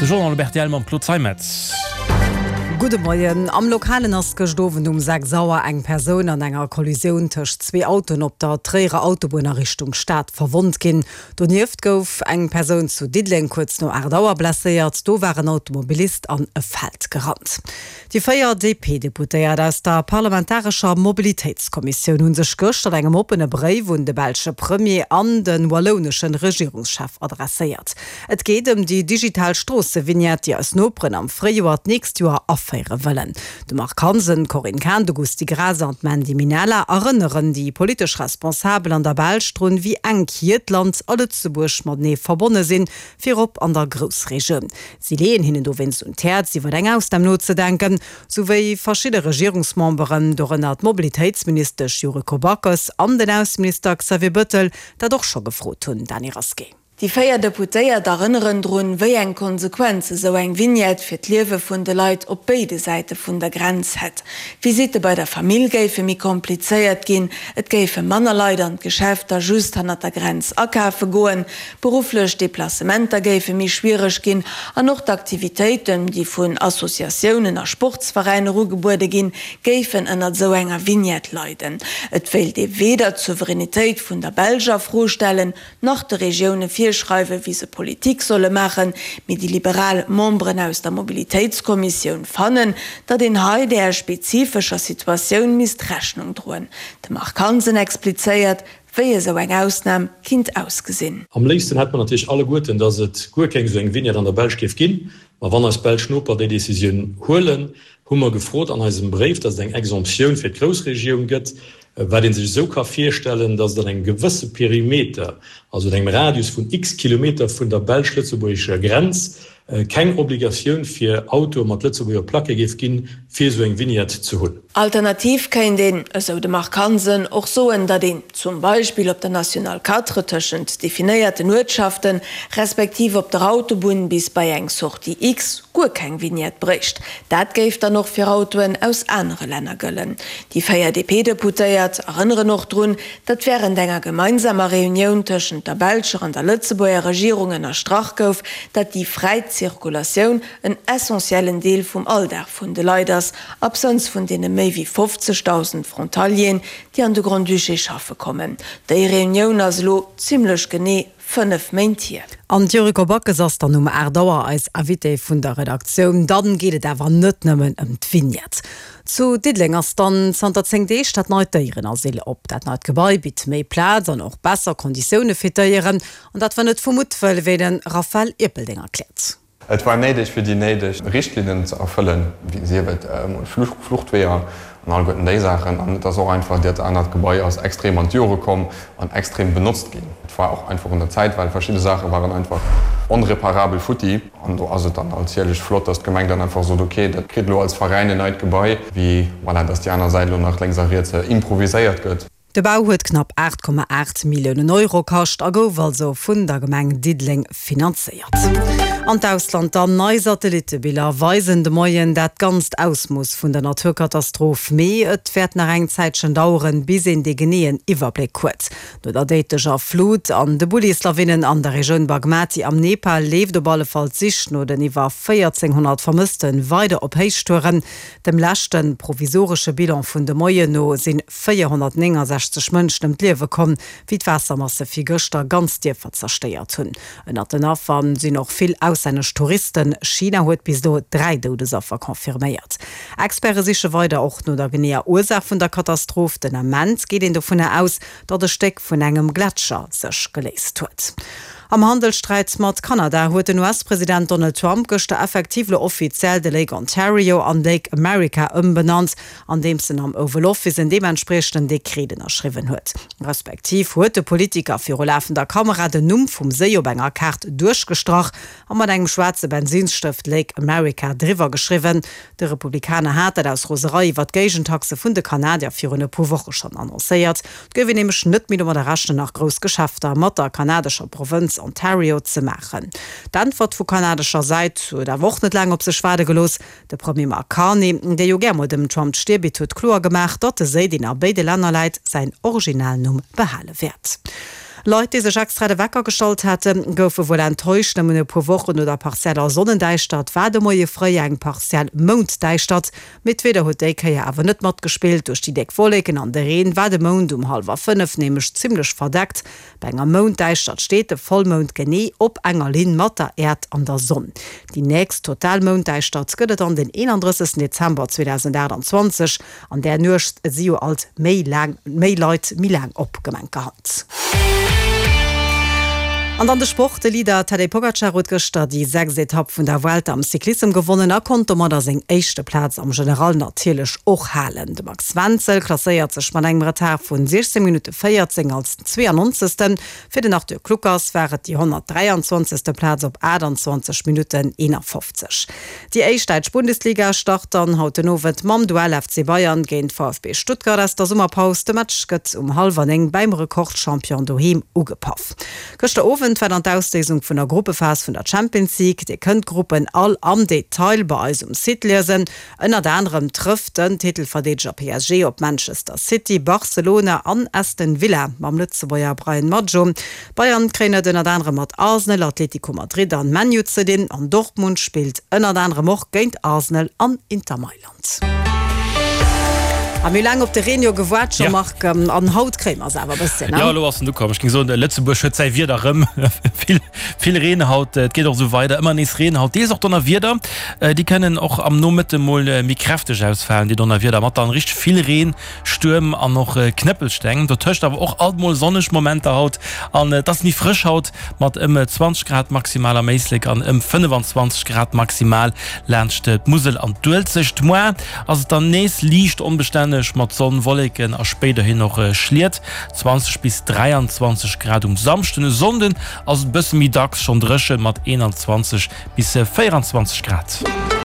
De Journal op rtl mam Claude Zeimetz. Gudde Moien. Am Lokalen ass gëscht Owend um 6 Auer eng Persoun an enger Kollisioun tëscht zwee Autoen op der Tréierer Autobunn a Richtung Stad verwonnt ginn. Donieft gouf eng Persoun zu Diddeleng kuerz no 8 Auer blesséiert. Do war en Automobilist an e Feld gerannt. Déi 4 DP-Deputéiert aus der parlamentarescher Mobilitéitskommissioun hu sech gëscht an engem oppene Bréif un de belsche Premier an de wallouneschen Regierungschef adresséiert. Et geet ëm déi digital Stroossevignette, déi eis Noperen am Fréijoer d'nächst Joer aféiere wëllen. De Marc Hansen, d'Corinne Cahen, de Gusty Graas an d'Mandy Minella erënneren déi politesch Responsabel an der Belsch drun, wéi enk hiert Land a Lëtzebuerg matenee verbonne sinn, virop an der Groussregioun. Si leeën hinnen dowéinst un d'Häerz, iwwer eng Ausnam nozedenken, sou wéi verschidde Regierungsmemberen, dorënner d'Mobilitéitsministesch Yuriko Backes an den Ausseminister Xavier Bëttel, dat och scho gefrot hunn. Dany Rasqué. Déi 4 Deputéiert erënneren drun, wéi eng Konsequenze sou eng Vignette fir d'Liewe vun de Leit op béide Säite vun der Grenz hätt. D'Visitte bei der Famill géife méi komplizéiert ginn, et géife manner Leit an d'Geschäfter just hannert der Grenz akafe goen, berufflech Deplacementer géife méi schwiereg ginn an och d'Aktivitéiten, déi vun Associatiounen a Sportsveräiner ugebuede ginn, géifen ënnert esou enger Vignette leiden. Et wéilt ee weder d'Souveränitéit vun der Belsch a Fro stellen, nach de Regioune virschreiwen, wéi se Politik solle maachen, mee déi liberal Memberen aus der Mobilitéitskommissioun fannen, datt een hei där spezifescher Situatioun misst Rechnung droen. De Marc Hansen explizéiert, wéi esou eng Ausnam kinnt ausgesinn. Am léifsten hätt mer natierlech alleguerten, datt et guer keng esou eng Vignette an der Belsch géif ginn. Ma wann eis belsch Noper déi Decisioun huelen, hu mer gefrot an eisem Bréif, datt et eng Exemptioun fir d'Groussregioun gëtt, wat ee sech esou ka virstellen, datt et an engem gewësse Perimeter, also an engem Radius vun x Kilometer vun der belsch-lëtzebuergescher Grenz, keng Obligatioun fir Autoe mat Lëtzebuerger Placke géif ginn, fir esou eng Vignette ze hunn. Alternativ kéint een, esou de Marc Hansen, och soen, datt een zum Beispill op der Nationale 4 tëschent definéierten Uertschaften, respektiv op der Autobunn bis bei eng Sortie X guer keng Vignette bréicht. Dat géif dann och fir Autoen aus anere Länner gëllen. Déi 4 DP-Deputéiert erënneren och drun, datt wärend enger gemeinsamer Reunioun tëschent der belscher an der Lëtzebuerger Regierung ënnerstrach gouf, datt déi fräi Zirkulatioun en essentiellen Deel vum Alldag vun de Leit ass, absënns vun deene méi wéi 50.000 Frontalieren, déi an de Grand-Duché schaffe kommen. Déi Reunioun ass elo zimmlech genee 5 Méint hier. An d'Yuriko Backes ass dann um 8 Auer eis Invitée vun der Redaktioun. Dann geet et awer net nëmmen ëm d'Vignette. Zu Diddeleng ass dann zanter 10 Deeg dat neit Déierenasyl op. Dat neit Gebai bitt méi Plaz an och besser Konditioune fir d'Déieren. An dat war net vu Muttwëll, wéi de Raphaël Ierpeldeng erkläert. Et war néideg, fir déi néideg Richtlinnen ze erfëllen, sief et emol Fluchtweeër an alleguerten déi Saachen. An et ass och einfach, dat anert Gebai ass extrem an d'Jore komm an extrem benotzt ginn. Et war och einfach un der Zäit, well verschidde Saache waren einfach onreparabel futti. An do ass et dann natierlech flott, dass d'Gemeng dann einfach sot, okay, dat kritt elo als Veräin en neit Gebai, wéi voilà, dass déi aner Säit elo nach lénks a riets improviséiert gëtt. De Bau huet knapp 8,8 Milliounen Euro kascht a gouf also vun der Gemeng Diddeleng finanzéiert. An d'Ausland dann, Nei Satellittebiller weisen de Moien dat ganzt Ausmooss vun der Naturkatastroph, mee et wäert nach eng Zäitchen daueren, bis een dee geneeën Iwwerbléck huet. No der déidlecher Flut an de Bullislawinnen an der Regioun Bagmati am Nepal leeft op alle Fall d'Sich no den iwwer 1.400 Vermësste weider op Héichtouren. Dem leschte provisoresche Bilan vun de Moien no sinn 469 Mënschen ëm d'Liewe komm, wéi d'Waassermasse virgëschter ganz Dierfer zerstéiert hunn. Ënnert den Affer sinn och vill auslännesch Touristen. China huet bis elo 3 Doudesaffer confirméiert. Experte siche weider och no der geneeër Ursaach vun der Katastroph. Den Ament geet een dovunner aus, datt e Stéck vun engem Gletscher sech geléist huet. Am Handelssträit mat Kanada huet den US-President Donald Trump gëschter effektiv elo offiziell de Lake Ontario an Lake America ëmbenannt, andeems en am Oval Office en deementspriechenden Dekret ënnerschriwwen huet. Respektiv huet de Politiker viru lafender Kamera den Numm vum Séi op enger Kaart duerchgestrach a mat engem schwaarze Bensinsstëft Lake America driwwer geschriwwen. De Republikaner hat dat aus Roserei iwwer d'Géigentaxe vun de Kanadier virun e puer Woche schonn annoncéiert. Et gouf een nämlech net méi domadder rechnen, nach grouss Geschäfter mat der kanadescher Provënz Ontario ze maachen. D'Äntwert vu kanadescher Säit huet awer och net laang op sech waarde gelooss. De Premier Mark Carney, dee jo gär mol dem Trump d'Stier bitt, huet kloer gemaach, datt de Séi, deen a béide Länner läit, säin Originalnumm behale wäert. Leit, déi sech extra de Wecker gestallt haten, goufe wuel enttäuscht. Nëmmen e puer Wochen no der partieller Sonnendäischtert war de Moie fréi eng partiell Mounddäischtert. Mee d'Wieder huet déi Kéier awer net matgespillt. Duerch déi déck Wolleken an de Reen war de Mound um hallwer 5 nämlech zimmlech verdeckt. Bei enger Mounddäischtert steet de Vollmound genee op enger Linn mat der Äerd an der Sonn. Déi nächst total Mounddäischtert gëtt et an den 31 Dezember 2028. An där Nuecht si jo alt méi laang méi Leit méi laang op, gemenkerhand. An dann de Sport, De Leader Tadej Pogacar huet gëschter déi sechst Etapp vun der Vuelta am Cyclissem gewonnen a konnt domadder seng éischte Plaz am General natierlech och halen. De Max Wenzel klasséiert sech mat engem Retard vun 16 Minutte 14 als 92. Fir den Arthur Kluckers war et déi 123. Plaz op 28 Minutten 51. Déi éischt däitsch Bundesliga start dann haut den Owend mam Duell FC Bayern géint VfB Stuttgart aus der Summerpaus. De Match gëtt um hallwer 9 bäim Rekordchampion doheem ugepaff. Gëschter Owend war dann d'Ausléisung vun der Gruppephas vun der Champions League. Dir kënnt d'Gruppen all am Detail bei eis um Site liesen. Ënnert anerem trëfft den Titelverdeedeger PSG op Manchester City, Barcelona an Aston Villa mam Lëtzebuerger Bryan Maggio. Bayern kréien et ënnert anerem mat Arsenal, Atlético Madrid an ManU ze dinn an Dortmund spillt ënnert anerem och géint Arsenal an Inter Mailand. A mir hu laang op de Reen jo gewaart, Jean-Marc, an haut kréie mer se awer e bësschen, ne? Jo, elo ass en ukomm. Ech géing soen, Lëtzebuerg huet säi Wieder erëm. Vill, vill Reen haut. Et geet och esou weider, ëmmer nees Reen haut, deels och Donnerwieder. Déi kënnen och am Nomëtte mol méi kräfteg ausfalen, déi Donnerwieder, mat dann richteg vill Reen, Stuerm an och Knëppelsteng. Dotëscht awer och alt mol sonneg Momenter haut an et ass méi frësch haut mat ëm 20 Grad maximal am Éislek an ëm 25 Grad maximal laanscht d'Musel an d'Uelzecht. Moar ass et dann nees liicht onbestänneg mat Sonn, Wolleken a spéiderhin och Schliet, 20 bis 23 Grad um Samschden. E Sonnden ass et e bësse méi dacks schonn dréchen mat 21 bis 24 Grad.